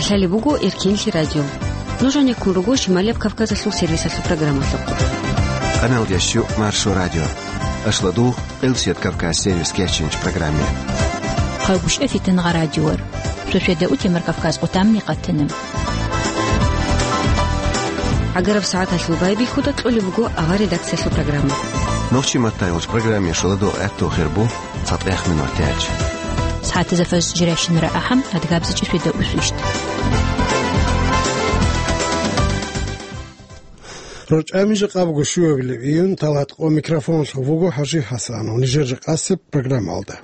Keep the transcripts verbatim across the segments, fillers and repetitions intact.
Лъалеб буго Эркинлъи радио. Нуж гьанеккун руго Шималияб Кавказалъул сервисалъул программалъухъ. Къаналдящу Маршо радио. Ашладугъ, Къилсият Кавказ сервис кечинч программе. Хъалгушев Фитангъа радиор. Шошведа утемар Кавказ къутамни къатана. ГӀагараб сагӀаталъул байбихьуда кьолеб буго авар редакциялъул программа. Нохчи маттайгъулч программе шуладугъ гӀатту хирбу. ЦатӀех минут тяч. СагӀатазда фаз жирайщинара ахӀам, адгабзичӀи феда усвищт. РорчӀами жакъа буго щуабилеб июнь, талат къо микрофонлъув вуго ХӀажи ХӀасанов. Нижер жакъасеб программалда.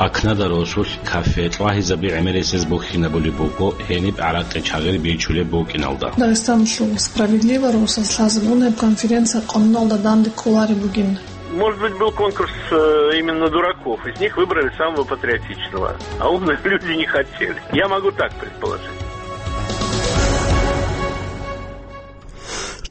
Акнада росулъ кафе тӀвагьизаби гӀемерисез бухьинабулеб буго гьениб гӀаракъи чагъир бичулеб букӀиналда. Дагъистаналъул «Справедливо» росас лъазабун гьеб конференция къануналда данде кколареб бугин. Может быть, был конкурс, э, именно дураков. Из них выбрали самого патриотичного. А умные люди не хотели. Я могу так предположить.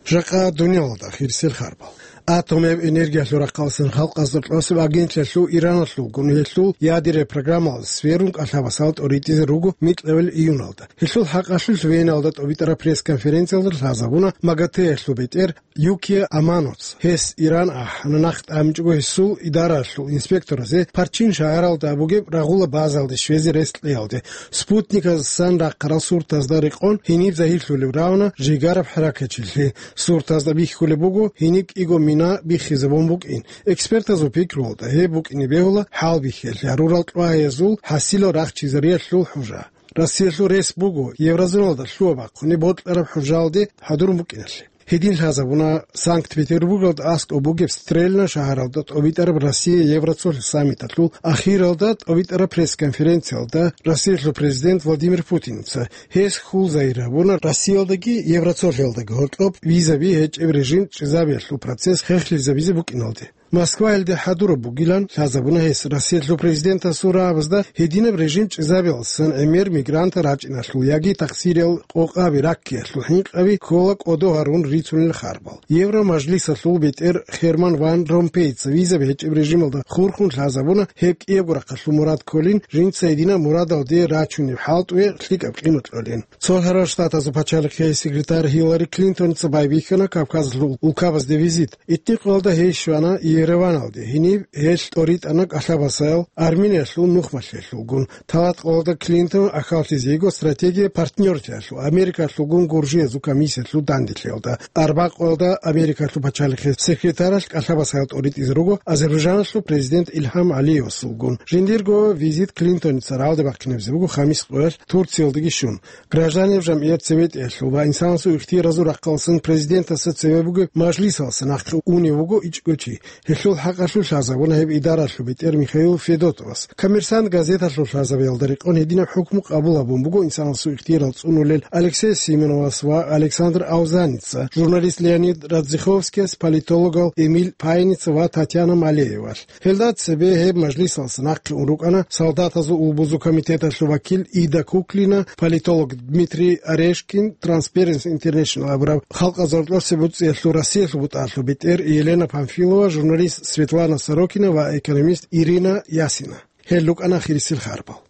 Жакъа дуниялалда хирсел харбал. Атомаб энергиялъул рахъалсан халкъазда кьосеб агентлъиялъул Ираналъулгун гьелъул ядераб программалда сверун кӀалъабасал тӀоритӀизе руго микьабил июналда. Гьелъул хӀакъалъулъ Веналда тӀобитӀараб пресс-конференциялда лъазабуна МАГАТЭялъул бетӀер Юкия Аманоц. Гьес Иран ахӀана, нахъ тӀамичӀого гьесул идаралъул инспекторазе Парчин шагьаралда бугеб рагъула базалде щвезе рес кьеялде. Спутниказасан рахъарал суртазда рекъон гьениб загьирлъулеб равна жигараб хӀаракатчилъи. Суртазда бихьулеб буго гьениб кӀиго мина биххизабун букӀин. Экспертазул пикруялда гьеб букӀине бегьула хӀалбихьиялъе гьарурал тӀвагьиязул хӀасилал рахчизариялъул хӀужа. Россиялъул рес буго еврозоналда лъугьа-бахъуни бокьараб хӀужалде хӀадурун букӀиналъе. Гьедин лъазабуна Санкт-Петербургалда аскӀоб бугеб Стрельна шагьаралда тӀобитӀараб Россия-Евроцолъ саммиталъул ахиралда тӀобитӀараб пресс-конференциялда Россиялъул президент Владимир Путинца. Гьес хьул загьир гьабуна Россиялдаги Евроцолъиялдаги гьоркьоб визаби гьечӀеб режим чӀезабиялъул процесс хехлъизабизе букӀиналде. Москваялде хӀадураб бугилан лъазабуна гьес Россиялъул президентасул рагӀабазда гьединаб режим чӀезабиялдасан гӀемер мигрантал рачӀиналъул яги тахсириял къокъаби раккиялъул хӀинкъаби ккола кӀодо гьарун рицунел харбал. Евромажлисалъул бетӀер Херман ван Ромпейца визаби гьечӀеб режималда хурхун лъазабуна гьеб кӀиябго рахъалъул мурад кколин жинца гьединаб мурадалде рачунеб хӀалтӀуе лъикӀаб къимат кьолин. Цо гьарал Штатазул пачалихъей секретарь Хиллари Клинтонца байбихьана Кавказалъул улкабазде визит. Итни къоялда гьей щвана Ереваналде, гьениб гьелъ тӀоритӀана кӀалъабасаял Армениялъул нухмалъиялъулгун. Талат къоялда Клинтон ахьаллъизе йиго стратегия партнёрлъиялъул, Америкалъулгун гуржиязул комиссиялъул данделъиялда. Арба къоялда Америкалъул пачалихъей секретаралъ кӀалъабасаял тӀоритӀизе руго Азербайджаналъул президент Илгьам Алиевасулгун. Жиндирго визит Клинтоница рагӀалде бахъинабизе буго хамис къоялъ Турциялдаги щун. Гражданиял жамгӀият цеветӀиялъул ва инсанасул ихтияразул рахъалсан президентасда цеве бугеб мажлисалса нахъе унев вуго ичӀго чи. Гьелъул хӀакъалъулъ лъазабуна гьеб идаралъул бетӀер Михаил Федотовас. «Коммерсант» газеталъул лъазабиялда рекъон гьединаб хӀукму къабул гьабун буго инсанасул ихтиярал цӀунулел Алексей Симоновас ва Александр Аузаница, журналист Леонид Радзиховскияс, политологал Эмиль Пайница ва Татьяна Малеевалъ. Гьелда цебе гьеб мажлисалса нахъе ун рукӀана Солдатазул улбузул комитеталъул вакил Ида Куклина, политолог Дмитрий Орешкин, Transparency International абураб халкъазул рокьосе буцӀиялъул Россиялъул бутӀалъул бетӀер Елена Памфилова, журналист Светлана Сорокина ва экономист Ирина Ясина. Гьел рукӀана хирисел харбал.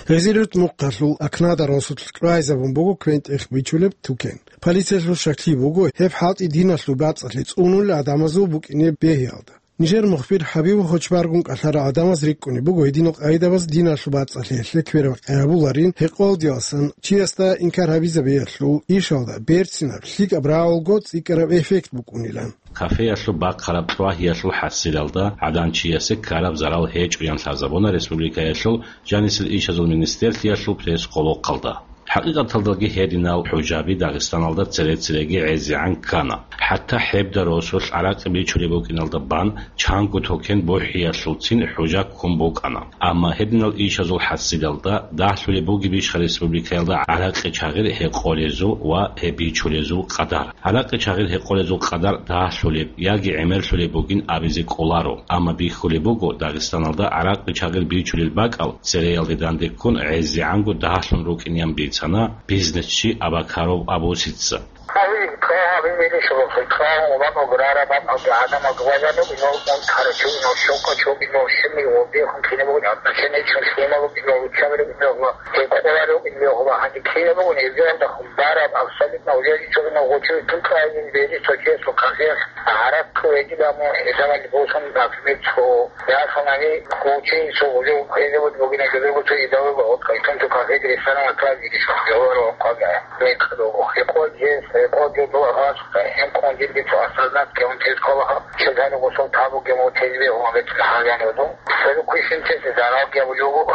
Гъезилут мухъалъул Акнада росулъ кьвайзабун буго квен-тӀех бичулеб тукен. Полициялъул щаклъи буго гьеб хӀалтӀи диналъул бацӀцӀалъи цӀунулел гӀадамазул букӀине бегьиялда. Нижер мухбир ХӀабиб Хочбаргун кӀалъарал гӀадамаз рикӀкӀунеб буго гьединал къайдабаз диналъул бацӀцӀалъиялъе квербакъи гьабуларин, гьекъолдиялсан чиясда инкар гьабизабиялъул ишалда берцинаб, лъикӀаб рагӀулго цӀикӀкӀараб эффект букӀунилан. Кафеялъул бахъараб тӀвагьиялъул хӀасилалда гӀадан чиясе ккараб зарал гьечӀоян лъазабуна республикаялъул жанисел ишазул министерлъиялъул пресс-къолохъалда. ХӀакъикъаталдаги гьединал хӀужаби Дагъистаналда цере-цереги гӀезегӀан ккана. ХӀатта гьебда росулъ гӀаракъи бичулеб букӀиналда бан чанго токен бухӀиялъулцин хӀужа ккун букӀана. Амма гьединал ишазул хӀасилалда дагьлъулеб бугебищха республикаялда гӀаракъи чагъир гьекъолезул ва гьеб бичулезул къадар? ГӀаракъи чагъир гьекъолезул къадар дагьлъулеб яги гӀемерлъулеб бугин абизе кӀоларо, амма бихьулеб буго Дагъистаналда гӀаракъи чагъир бичулел бакӀал цереялде данде ккун гӀезегӀанго дагьлъун рукӀинеян биц. бицана бизнесчи Абакаров Абусица. Гьавилин, гьавилин, шугъуллъи, гьавун, ван ограра, ван ог-, гӀадамал гвазанугино, унтарачугино, щокачугино, шими, вобехун кинабугин, отношение чун лъималугино, учабригино, гьекъоларигино, гьанже кинабугин, эзиянда хумбараб, абсолютно, урядичугино, гъучуги тукаин, бери, сочесо, кафех, гьаракку, эгидаму, хӀисабали босун, например, цо, яханани, кучи, цо, гъужу, хвезабуд бугина, гъузургу, цо, идавуга, от, кайтун, цо, кафеги, ресторан, акрал, гидиш, хвезабуд, квага. Рекъо, рекъо гьес, рекъо гьев дугӀа гьес, гьев къондилги цо осознать гьев тез ккола, щай гьанив гъосул табуге мун тезбе гьун гьечӀо гьагьанив ду. Церукъ вищинчес зарал гьев лугу.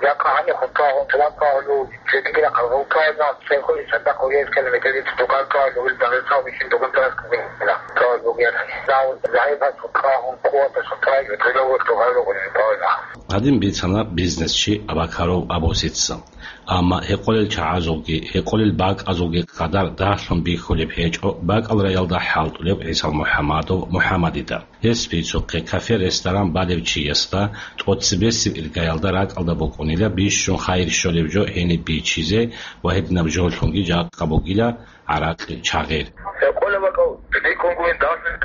Якъа гьанив хутӀа гьун тулан ккагьулу, цедигира хъалгъултаязда, церкъули цадахъ гьев километралде тутукар ккагьулу, Дагъистан вищин дугун тарас ккагьулу. Ккагьулу гьев. Зав-, загӀипас хутӀа гьун, къуватас хутӀа, ютӀилаву тухару гьуниб гьавина. Гьадин бицана бизнесчи Абакаров Абусица. Амма гьекъолел чагӀазулги, гьекъолел бакӀазулги къадар дагьлъун бихьулеб гьечӀо бакӀал раялда хӀалтӀулев ГӀисал МухӀамадов МухӀамадида. Гьес бицухъе кафе-ресторан балев чиясда тӀоцебесеб иргаялда ракӀалда букӀунила бищун хайир щолеб жо гьениб бичизе ва гьединаб жоллъунги жакъа бугила гӀаракъи чагъир. Гьекъолеб бакӀал бикьун гуин дагьлъун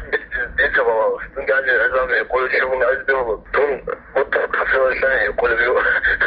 дица балагьулъ. Дунги гьанже гӀезаб гьекъолеб щугун гӀезаб бегьула. Дун гъутта кафелалъани гьекъолеб жо.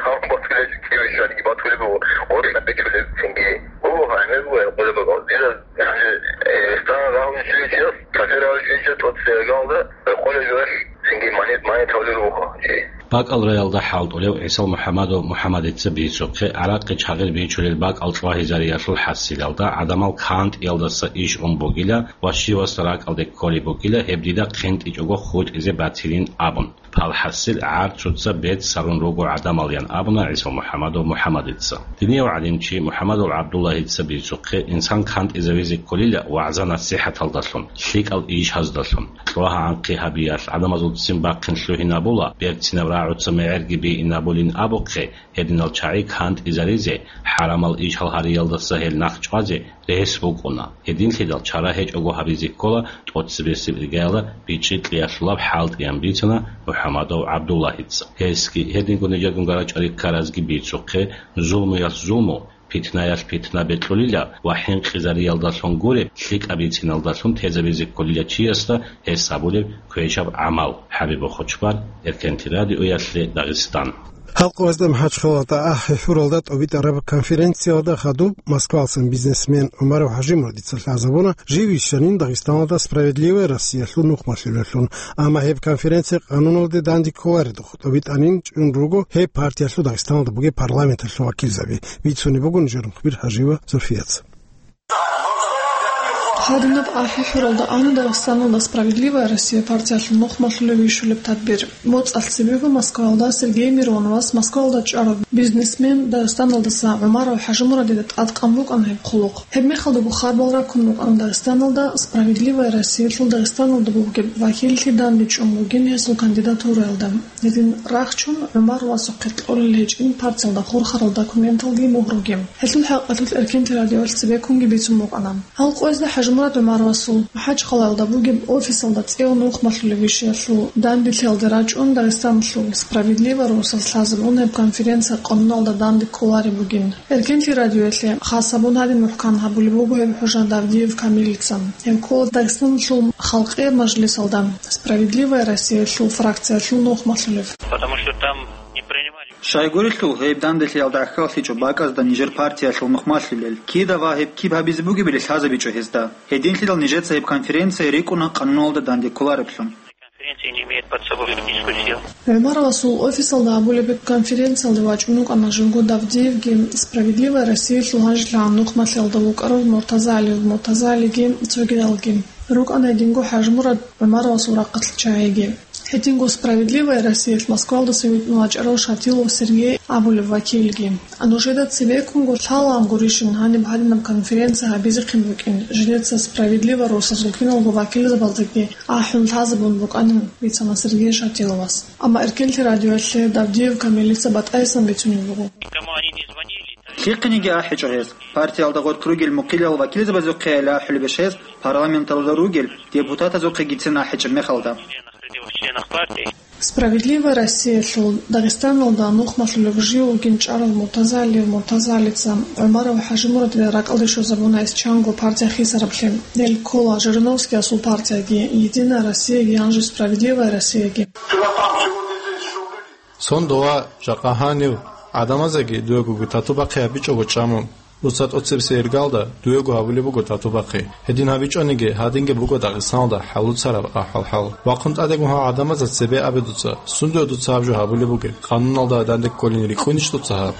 Гьаб батулел кивишаниги батулеб буго. Гъутта бикьулеб цинги. Буго гьаниб буго гьекъолеб бакӀал. Дида гьанже, э, ресторан рагьун щвечияс, кафе рагьун щвечияс тӀоцебе иргаялда гьекъолеб жоялъ цинги манит, манит гьавулел вуго чи. БакӀал раялда хӀалтӀулев ГӀисал МухӀамадов МухӀамадица бицухъе, гӀаракъи чагъир бичулел бакӀал чӀвагьизариялъул хӀасилалда гӀадамал кантӀиялдаса иш ун бугила ва щивасда ракӀалде кколеб бугила, гьеб дида хъинтӀичӀого хутӀизе батилин абун. Пал хӀасил гӀарцуца бецц гьарун руго гӀадамал, ян абуна ГӀисал МухӀамадов МухӀамадица. Динияв гӀалимчи МухӀамадов ГӀабдуллагьица бицухъе, инсан кантӀизавизе кколила вагӀза-насихӀаталдалъун, лъикӀал ишаздалъун. Кьвагьанхъи гьабиялъ гӀадамазул ццин бахъин лъугьинабула, берцинаб рагӀуца мегӀерги бигьинабулин абухъе, гьединал чагӀи кантӀизаризе, хӀарамал ишал гьариялдаса гьел нахъ чӀвазе рес букӀуна. Гьединлъидал чара гьечӀого гьабизе ккола тӀоцебесеб иргаяла бичӀчӀи кьеялъулаб хӀалтӀиян бицана МухӀамадов ГӀабдуллагьица. Гьесги, гьединго нижерго гьарачӀари ккаразги бицухъе, зулмуялъ зулму, питнаялъ питна бекьулила ва хӀинкъизариялдалъун гуре, лъикӀаб бициналдалъун тезабизе кколила чиясда гьес гьабулеб квешаб гӀамал. ХӀабиб Бохочбар, Эркенти радиоялъе, Дагъистан. Гьалкъоязда МахӀачхъалалда ахӀи хӀуралда тӀобитӀараб конференциялда хадуб Москвалсан бизнесмен ГӀумаров ХӀажимурадица лъазабуна жив вищанин Дагъистаналда «Справедливая Россиялъул» нухмалъулевлъун, амма гьеб конференция къануналде данде кколаредухъ. ТӀобитӀанин чӀун руго гьеб партиялъул Дагъистаналда бугеб парламенталъул вакилзаби. Бицунеб буго нижер мухбир ХӀажиева Зульфияца. Гьадинаб ахӀи хӀуралда ана Дагъистаналда «Справедливая Россия» партиялъул нухмалъулев вищулеб тадбир. МоцӀалъ цебего Москваялда Сергей Мироновас Москваялда чӀарав бизнесмен Дагъистаналдаса ГӀумаров ХӀажимурадида тӀадкъан букӀана гьеб хъулухъ. Гьеб мехалдаго хабар раккун рукӀана Дагъистаналда «Справедливая Россиялъул» Дагъистаналда бугеб вакиллъи данде чӀун бугин гьесул кандидатураялда. Гьедин рахчун ГӀумаровасухъе кьолел гьечӀин партиялда хурхарал документалги мугьруги. Гьелъул хӀакъалъулъ Эркенти радиоялъ цебеккунги бицун букӀана. Гьалкъоязда ХӀажимурад ГӀумаровасул МахӀачхъалаялда бугеб офисалда цӀеян нухмалъулев вищиялъул данделъиялде рачӀун Дагъистаналъул «Справедливая Россиялъ» лъазабун гьеб конференция къануналда данде кколареб бугин. Эркенти радиоялъе хас гьабун гьадин мухӀкан гьабулеб буго гьеб хӀужа Давдиев Камилица. Гьев ккола Дагъистаналъул Халкъияб мажлисалда «Справедливая Россиялъул» фракциялъул нухмалъулев. Потому что там не принимали. Щайгурелъул, гьеб данделъиялда гӀахьаллъичӀо бакӀазда нижер партиялъул нухмалъулел. Кида ва гьеб киб гьабизе бугебали лъазабичӀо гьезда. Гьединлъидал нижеца гьеб конференция рикӀкӀуна къануналда данде кколареблъун. Конференция не имеет под собой юридическую силу. ГӀумаровасул офисалда гьабулеб конференциялде вачӀун вукӀана живго Давдиевги, «Справедливая Россиялъул» гьанжелъагӀан нухмалъиялда вукӀарав Муртаза ГӀалиев МуртазагӀалиги цогидалги. РукӀана гьединго ХӀажимурад ГӀумаровасул рахъалъ чагӀиги. Гьединго «Справедливая Россиялъ» Москвалдаса витӀун вачӀарав Шатилов Сергей абулев вакилги. Нужеда цебеккунго лъалаан гурищин гьаниб гьадинаб конференция гьабизехъин букӀин, жидеца «Справедливая Россиялъул» киналго вакилзабаздаги ахӀун лъазабун букӀанин, бицана Сергей Шатиловас. Амма Эркенти радиоялъе Давдиев Камилица батӀайсан бицунеб буго. Никому они не звонили. Лъихъениги ахӀичӀо гьез. Партиялда гъоркь ругел мухъилал вакилзабазухъе ахӀулебищ гьез, парламенталда ругел депутатазухъегицин ахӀичӀеб мехалда. Членах партии. «Справедливая Россиялъул» Дагъистаналда нухмалъулеб жив вугин чӀарав Муртазалиев Муртазалица ГӀумаров ХӀажимурадил ракӀалде щвезабуна эс чанго партия хисараблъи. Гьел ккола Жириновскиясул партияги, «Единая Россияги», гьанже «Справедливая Россияги». Сон дова жакъа гьанив гӀадамазеги дуего тату бахъи гьабичӀого чӀамун. Дуца тӀоцебесеб иргалда дуего гьабулеб буго тату бахъи. Гьедин гьабичӀониги, гьадинги буго Дагъистаналда хӀалуцараб ахӀвал-хӀал. Вахъун тӀадегун гьал гӀадамазда цебе абе дуца, сундуе дуца гьаб жо гьабулеб бугеб? Къануналда данде кколин рикӀкӀунищ дуца гьаб?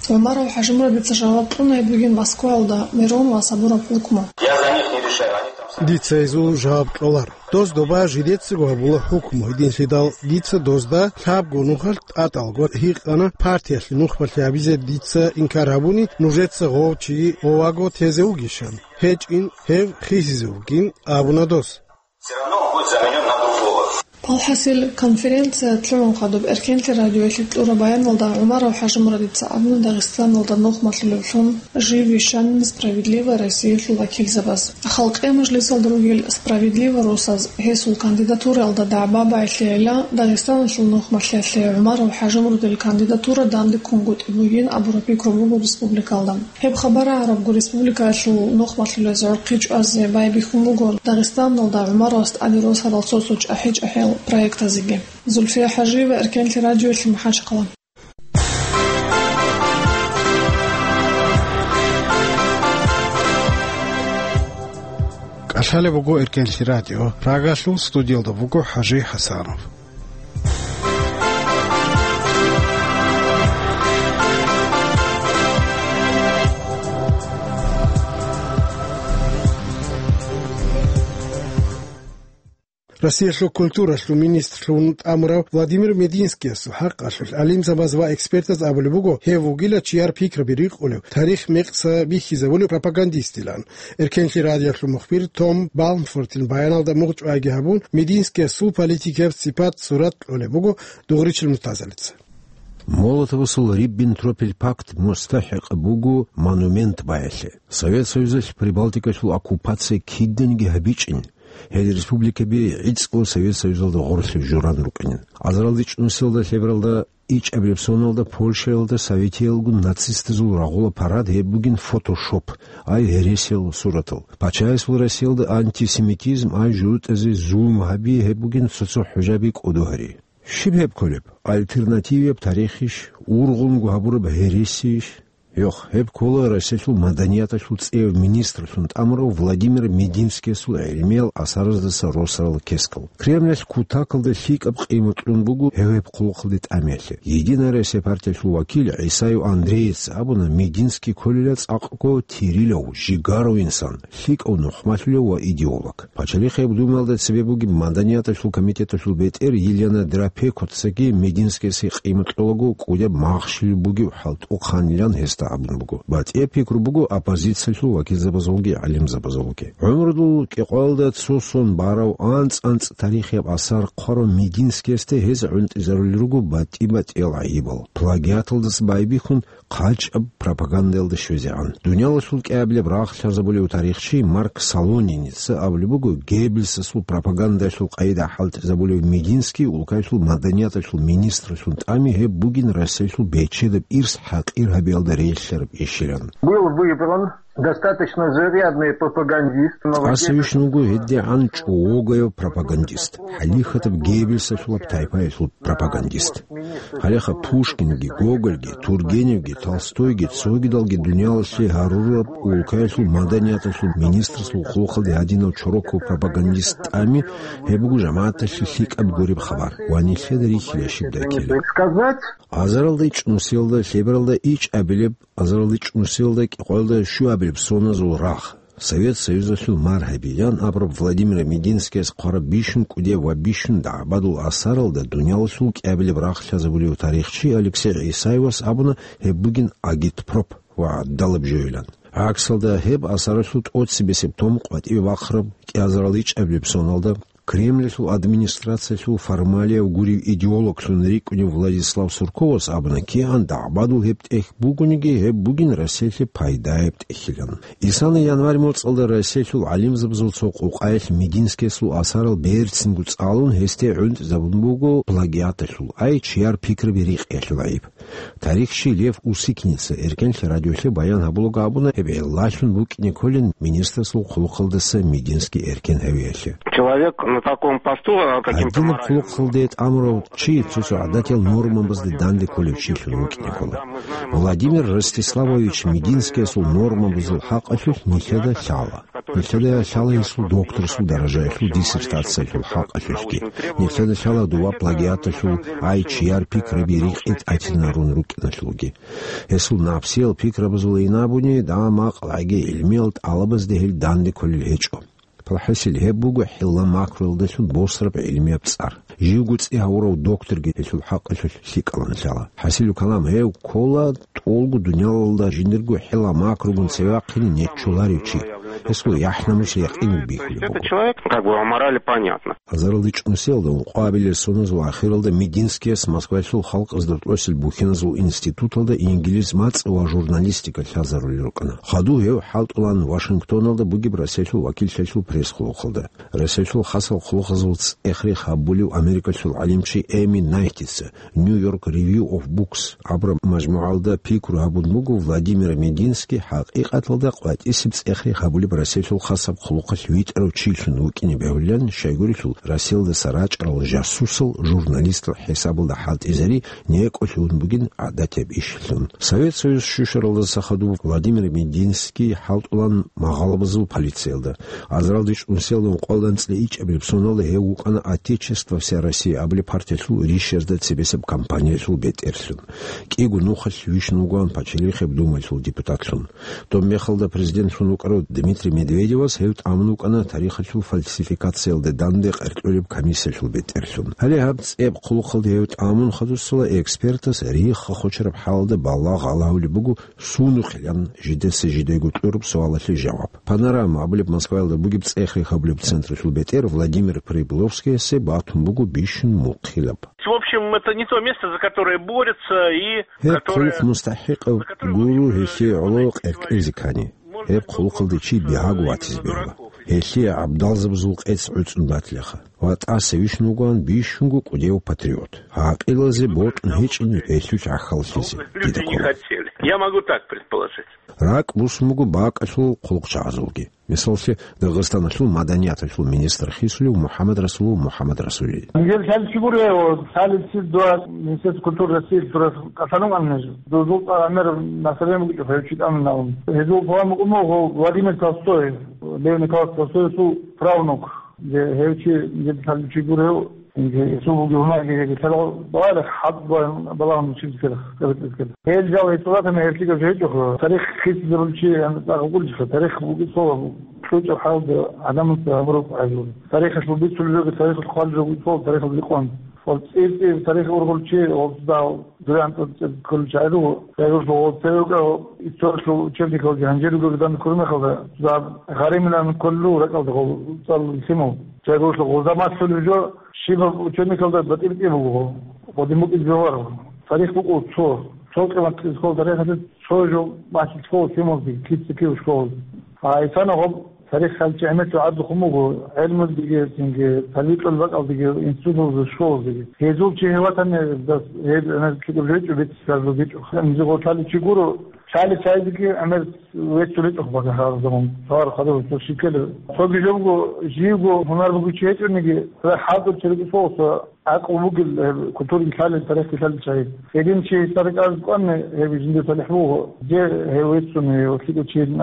ГӀумаров ХӀажимурадица жаваб кьуна гьеб бугин Москваялда Миронова сабураб хӀукму. Я за них не решаю, они там сами. Дица гьезул жаваб кьолар. Доз доба жидецаго гьабула хӀукму, гьединлъидал дица дозда лъабго нухалъ тӀатӀалго гьикъана, партиялъе нухмалъи гьабизе дица инкар гьабуни, нужеца гъов чи гъоваго тезе вугищан? ГьечӀин, гьев хисизе вугин, абуна дос. Всё равно он будет заменён на другого. Алхасил, конференция лъугӀун хадуб Эркенлъи радиоялъе кьураб баяналда ГӀумаров ХӀажимурадица абуна Дагъистаналда нухмалъулевлъун жив вищанин «Справедливая Россиялъул» вакилзабаз. Халкъиял мажлисалда ругел «Справедливая Россияз» гьесул кандидатураялда дагӀба байбихьейилан Дагъистаналъул нухмалъиялъе ГӀумаров ХӀажимурадил кандидатура данде ккунгутӀи бугин абураб пикру буго республикалда. Гьеб хабар гьарабго республикаялъул нухмалъулез гӀурхъи чӀвазе байбихьун буго Дагъистаналда ГӀумаровас тӀаде росарал цо-цо чӀахӀи-чӀахӀиял проектазеги. Зульфия ХӀажиева, Эркенлъи радиоялъе, МахӀачхъала. КӀалъалеб буго Эркенлъи радио. Прагалъул студиялда буго ХӀажи ХӀасанов. Россиялъул культуралъул министрлъун тӀамурав Владимир Мединскиясул хӀакъалъулъ гӀалимзабаз ва экспертаз абулеб буго, гьев вугила чияр пикраби рикъулев, тарих мекъса бихьизабулев пропагандистилан. Эркенлъи радиоялъул мухбир Том Балмфортин баяналда мугъчӀвайги гьабун, Мединскиясул политикияб сипат-сурат кьолеб буго Дугъричил Муртазалица. Молотовасул Риббентропил пакт мустахӀикъ буго монумент баялъе. Совет Союзалъ Прибалтикалъул оккупация киданиги гьабичӀин, гьел республикаби гӀицӀго Совет Союзалда гъорлъе журан рукӀинин. Азаралда ичӀнусиялда лъебералда ичӀабилеб соналда Польшаялда советиялгун нацистазул рагъула парад гьеб бугин фотошоп, ай гьересиял суратал. Пачаясул Россиялда антисемитизм, ай жугьутӀазе зулм гьаби гьеб бугин цо-цо хӀужаби кӀодо гьари. Щиб гьеб кколеб? Альтернативияб тарихищ, ургъунго гьабураб гьересийищ? Йох, гьеб ккола Россиялъул маданияталъул цӀеяв министрлъун тӀамурав Владимир Мединскиясул гӀелмиял асараздаса росарал кескал. Кремлалъ кутакалда лъикӀаб къимат кьун буго гьев гьеб хъулухъалде тӀамиялъе. Единая Россия партиялъул вакил ГӀисаев Андреец абуна, Мединский кколила цӀакъго тирилав, жигарав инсан, лъикӀав нухмалъулев ва идеолог. Пачалихъ гьеб думаялда цебе бугеб маданияталъул комитеталъул бетӀер Елена Драпекоцаги Мединскиясе къимат кьолаго кӀудияб махщел бугев хӀалтӀухъанилан гьесда абун буго. БатӀияб пикру буго оппозициялъул вакилзабазулги гӀалимзабазулги. ГӀумрудул кӀикъоялда цо сон барав анцӀ-анцӀ тарихияб асар хъварав Мединскиясде гьез гӀунтӀизарулел руго батӀи-батӀиял гӀайибал. Плагиаталдаса байбихьун, хъачӀаб пропагандаялда щвезегӀан. Дуниялалъул кӀиабилеб рагъ лъазабулев тарихчи Марк Солониница абулеб буго, Геббельсасул пропагандалъул къайда хӀалтӀизабулев Мединский улкаялъул маданияталъул министрлъун тӀами гьеб бугин Россиялъул бечедаб ирс хӀакъир гьабиялда релълъараб ишилан. Был выбран достаточно зарядный пропагандист, но в... Тяса вищун вуго гьедигӀан чӀогогояв пропагандист, хӀалихьатаб Геббельсалъулаб тайпаялъул пропагандист. Гьалеха Пушкинги, Гогольги, Тургеневги, Толстойги, цогидалги дуниялалъе гьарураб улкаялъул маданияталъул министрасул хъулухъалде гьадинав чороков пропагандист тӀами, гьеб буго жамагӀаталъе лъикӀаб гуреб хабар ва нилъеда рихьила щибдай ккела. Сказать. Азаралда ичӀнусиялда, лъебералда ичӀабилеб, азаралда ичӀнусиялда, кӀикъоялда щуабилеб соназул рагъ. Совет Союзалъул мар гьабилан абураб Владимир Мединскияс хъвараб бищун кӀудияб ва бищун дагӀбадул асаралда дуниялалъул кӀиабилеб рагъ лъазабулев тарихчи Алексей ГӀисаевас абуна, гьеб бугин агитпроп ва гӀадалаб жойилан. ГӀаксалда, гьеб асаралъул тӀоцебесеб том къватӀибе бахъараб кӀиазарал ичӀабилеб соналда Кремлалъул администрациялъул формалияв гурев идеологлъун рикӀкӀунев Владислав Сурковас абуна, кигӀан дагӀбадул гьеб тӀехь бугониги, гьеб бугин Россиялъе пайдаяб тӀехьилан. Исана январь моцӀалда Россиялъул гӀалимзабазул цо къукъаялъ Мединскиясул асарал берцинго цӀалун, гьесде гӀунтӀизабун буго плагиаталъул, ай чияр пикраби рикъиялъул гӀайиб. Тарихчи Лев Усикница Эркенлъи радиолъе баян гьабулаго абуна, гьеб гӀиллалъун букӀине кколин министрасул хъулухъалдаса Мединский эркен гьавиялъе. Человек на таком посту, а, каким-то Гьадинаб моральным хъулухъалде тӀамурав чи цо-цо гӀадатиял нормабазде данде кколев чилъун вукӀине ккола. Владимир Ростиславович Мединскиясул нормабазул хӀакъалъулъ нилъеда лъала. Нилъеда лъала гьесул докторсул даражаялъул диссертациялъул хӀакъалъулъги. Нилъеда лъала дова плагиаталъул, ай чияр пикраби рикъи тӀатинарун рукӀиналъулги. Гьесул напсиял пикрабазул инабуни, дагьа-макъ лаги гӀилмиял тӀалабазде гьел данде кколел гьечӀо. ПалхӀисил гьеб буго хӀилла макруялдалъун босараб гӀилмияб цӀар. Живго цӀи гьавурав докторги гьелъул хӀакъалъулъ лъикӀалан лъала. ХӀасилу калам, гьев ккола тӀолго дуниялалда жиндирго хӀилла макругун цеве вахъине неччоларев чи. Гьесул яхӀ-намус якъинго бихьулеб буго. Это человек, как бы, о морали понятно. Азаралда чӀунусиялда ункъоабилеб соналъул ахиралда Мединскияс Москваялъул халкъазда тӀоцел бухьиназул институталда инглиз мацӀ ва журналистика лъазарулел рукӀана. Хадув гьев хӀалтӀулан Вашингтоналда бугеб Россиялъул вакиллъиялъул пресс-хъулухъалда. Россиялъул хасал хъулухъазул цӀех-рех гьабулев Америкалъул гӀалимчи Эми Найтица New York Review of Books абураб мажмугӀалда пикру гьабун буго Владимир Мединский хӀакъикъаталда къватӀисеб цӀех-рех гьабулеб Россиялъул хасаб хъулухъалъ витӀарав чилъун вукӀине бегьулилан, щайгурелъул Россиялдаса рачӀарал жасусал, журналистал хӀисабалда хӀалтӀизари некӀолъун бугин гӀадатияб ишилъун. Совет Союз щущаралдаса хадуб Владимир Мединский хӀалтӀулан магъалабазул полициялда. Азаралда чӀунусиялда ункъоялда анцӀила ичӀабилеб соналда гьев вукӀана «Отечество, вся Россия» абулеб партиялъул ришшазда цебесеб кампаниялъул бетӀерлъун. КӀиго нухалъ вищун вугоан Пачалихъеб Думаялъул депутатлъун. Доб мехалда президентлъун вукӀарав Дмитрий Медведевас гьев тӀамун вукӀана тарихалъул фальсификациялда данде къеркьулеб комиссиялъул бетӀерлъун. Гьале гьаб цӀеб хъулухъалда гьев тӀамун хадусала экспертас рихха хочараб хӀалалда балагь гьалагьулеб буго, сунухъилан жидеца жидего кьураб суалалъе жаваб. «Панорама» абулеб Москваялда бугеб цӀех-рех гьабулеб централъул бетӀер Владимир Прибыловскиясе батун буго бищун мухъилаб. В общем, это не то место, за которое борются и Гьеб которое хъулухъ мустахӀикъав гуро гьелъие гӀоло къеркьезе ккани. Гьеб хъулухъалде чи бигьаго ватизе бегьула. Гьелъие гӀабдалзабазул къец гӀуцӀун батилаха. Ва тӀаса вищун вугоан бищунго кӀудияв патриот. ГӀакъилазе бокьун гьечӀин гьелъул гӀахьаллъизе, дида ккола. Я могу так предположить. РакӀ бусун буго бакӀалъул хъулухъчагӀазулги. Мисаллъе, Дагъистаналъул маданияталъул министр хисулев МухӀаммад Расулов МухӀаммад Расулович. Нижер лъалчи гуре, лъалеб цид дуа Министерство культуры России турас касанун аннеж. Дузул гӀемер население букӀа хӀев чи тӀамун. Гьезул палан букӀун буго Владимир Толстой, Лев Николаевич Толстоевсул правнук. Гьев чи нижер лъалчи гуре, Инги, гьесул бугеб гьунарги гьеги лъала балагье, хӀакъ балагьун чилисел, цӀерцӀицел. Гьел жал гьечӀолатани гьелъигав жо гьечӀоха. Тарих хисизабулчи гьанна цӀакъ вукӀулчилха. Тарих бугеб цо кьучӀаб хӀалда гӀадамаца гьабураб гӀайиб. Тарихалъул бицулел жоги, тарихалъ хъвалел жоги цо тарихалда рекъон. Ва цӀир-цӀир тарих ургъулчи, ва дагь дуе гьанкӀ цӀер кколел чагӀи руго. Цайгуралъ гъо цеве вукӀа историялъул учебникалги гьанже ругел данде ккураб мехалда, цо дагь гъаримилан кколел ракӀалда гъо цӀалулел лъимал. Цайгуралъ гъоза малъулеб жо, щибаб учебникалда батӀи-батӀи буго, гъодин букӀине бегьуларо. Тарих букӀун цо, цо къимат школа тарихалъе цо жо бахъизе ккола лъималазде, кица-кив школазе. А исана гъоб тарих лъалчи гӀемер гӀадухъун буго, гӀелмудиги, цинги, талихӀ бакӀалдеги, институталда, школазеги. Гьезул чи гьев ватани, дас гьеб гӀемер кӀиго жо гьечӀо, бицараб жо гьечӀо. Гьанже гъо лъалев чи гуро, лъалев чагӀазеги гӀемер веццулеб гьечӀо багьа гьаб заман. Цо гьар хадур цо щиб ккелеб. Цоги жо буго, живго гьунар бугев чи гьечӀониги, цо хӀалтӀулев чи рукӀине ккола, цо гӀакълу бугел гьеб культураялъ лъалел, тарихалъ лъалел чагӀи. Гьедин чи гьесда рекӀараб кӀванани, гьеб жиндир талихӀ буго, гьев веццун, гьев лъикӀав чи вугин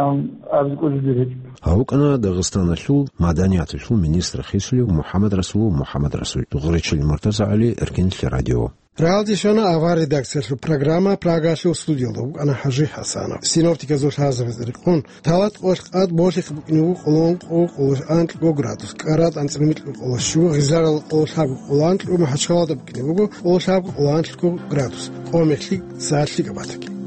абизе кӀвезе дир гьечӀо. Гьав вукӀана Дагъистаналъул маданияталъул министр хисулев МухӀаммад Расулов МухӀаммад Расул. Дугъричил Муртаза ГӀали, Эркенлъи радио. Рагьалде щвана авар редакциялъул программа, Прагалъул студиялда вукӀана ХӀажи ХӀасанов. Синоптиказул лъазабазе рекъон, Талат къоялъ къад болъихъ букӀине буго къоло ункъо, къоло анкьго градус, КӀараб анцӀила микьго къоло щуго, Гъизларалда къоло лъабго, къоло анкьго, МахӀачхъалада букӀине буго къоло лъабго, къоло анкьго градус, къо-мехлъи, сагӀатлъи габатаги.